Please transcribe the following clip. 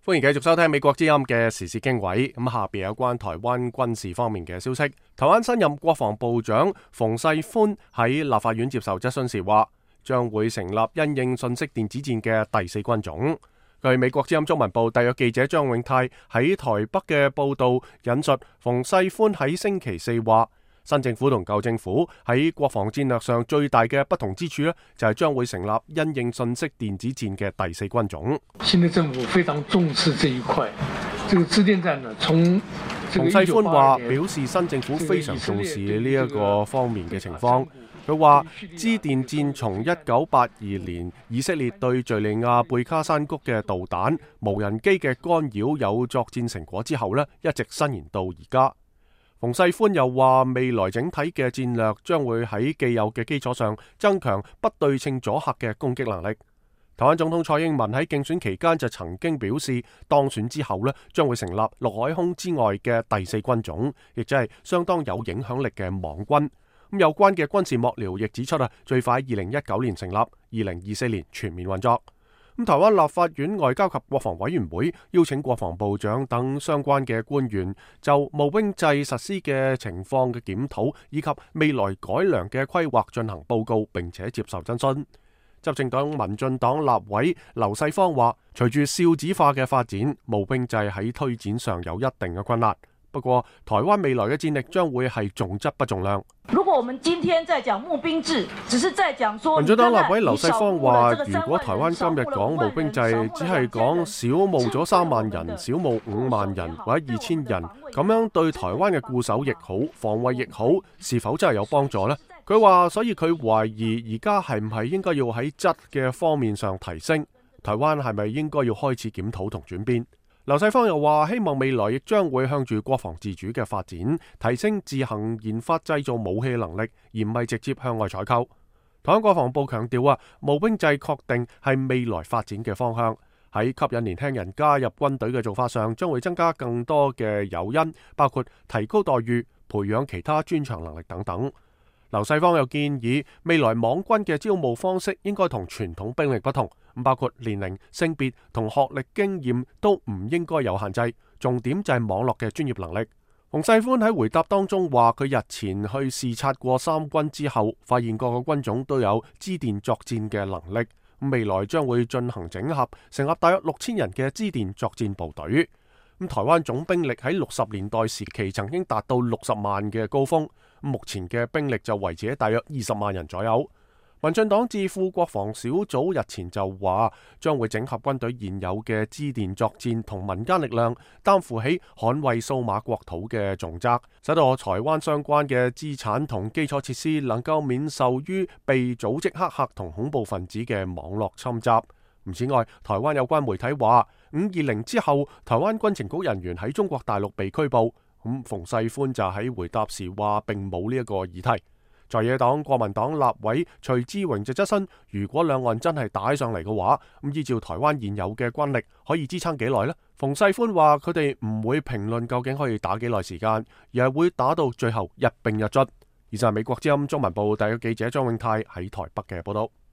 歡迎繼續收聽美國之音嘅時事經緯。咁下邊有關台灣軍事方面嘅消息。台灣新任國防部長馮世寬喺立法院接受質詢時話，將會成立因應信息電子戰嘅第四軍種。據美國之音中文部特約記者張永泰喺台北嘅報道引述，馮世寬喺星期四話，新政府同舊政府喺國防戰略上最大嘅不同之處呢，就係將會成立因應信息電子戰嘅第四軍種。新的政府非常重視這一塊，這個資電戰呢，從馮世寬話表示新政府非常重視呢一個方面嘅情況。佢話資電戰從1982年以色列對敘利亞貝卡山谷嘅導彈、無人機嘅干擾有作戰成果之後呢，一直伸延到而家。馮世寬又話，未來整體嘅戰略將會喺既有嘅基礎上增強不對稱阻嚇嘅攻擊能力。台灣總統蔡英文喺競選期間就曾經表示，當選之後呢，將會成立陸海空之外嘅第四軍種，亦即係相當有影響力嘅網軍。咁有關嘅軍事幕僚亦指出最快2019年成立，2024年全面運作。台灣立法院外交及國防委員會邀請國防部長等相關嘅官員就募兵制實施嘅情況嘅檢討以及未來改良嘅規劃進行報告，並且接受質詢。執政黨民進黨立委劉世芳話，隨住少子化嘅發展，募兵制喺推展上有一定嘅困難。不過，台灣未來嘅戰力將會係重質不重量。如果我們今天在講募兵制，只是在講說，民進黨立委劉世芳話，如果台灣今日講募兵制，只係講少募咗3萬人、少募5萬人或者2000人，咁樣對台灣嘅固守亦好、防衛亦好，是否真係有幫助呢？佢話，所以佢懷疑而家係唔係應該要喺質嘅方面上提升？台灣係咪應該要開始檢討同轉變？劉世芳又話，希望未來亦將會向住國防自主嘅發展，提升自行研發製造武器能力，而唔係直接向外採購。台灣國防部強調募兵制確定係未來發展嘅方向，喺吸引年輕人加入軍隊嘅做法上，將會增加更多嘅誘因，包括提高待遇、培養其他專長能力等等。劉世芳又建議，未來網軍嘅招募方式應該同傳統兵力不同，包括年齡、性別同學歷經驗都唔應該有限制，重點就係網絡嘅專業能力。馮世寬喺回答當中話，佢日前去視察過三軍之後，發現各個軍種都有資電作戰嘅能力，未來將會進行整合，成立大約6000人嘅資電作戰部隊。台灣總兵力喺60年代時期曾經達到60萬嘅高峰，目前嘅兵力就維持喺大約20萬人左右。民進黨智庫國防小組日前就話，將會整合軍隊現有嘅資電作戰同民間力量，擔負起捍衛數碼國土嘅重責，使到台灣相關嘅資產同基礎設施能夠免受於被組織黑客同恐怖分子嘅網絡侵襲。此外，台灣有關媒體話，520之後，台灣軍情局人員喺中國大陸被拘捕。馮世寬就喺回答時話，並冇呢一個議題。在野黨國民黨立委徐志榮就質詢，如果兩岸真係打上嚟嘅話，依照台灣現有嘅軍力，可以支撐幾耐呢？馮世寬話，佢哋唔會評論究竟可以打幾耐時間，而係會打到最後一兵一卒。以上係美國之音中文部特約記者張永泰喺台北嘅報道。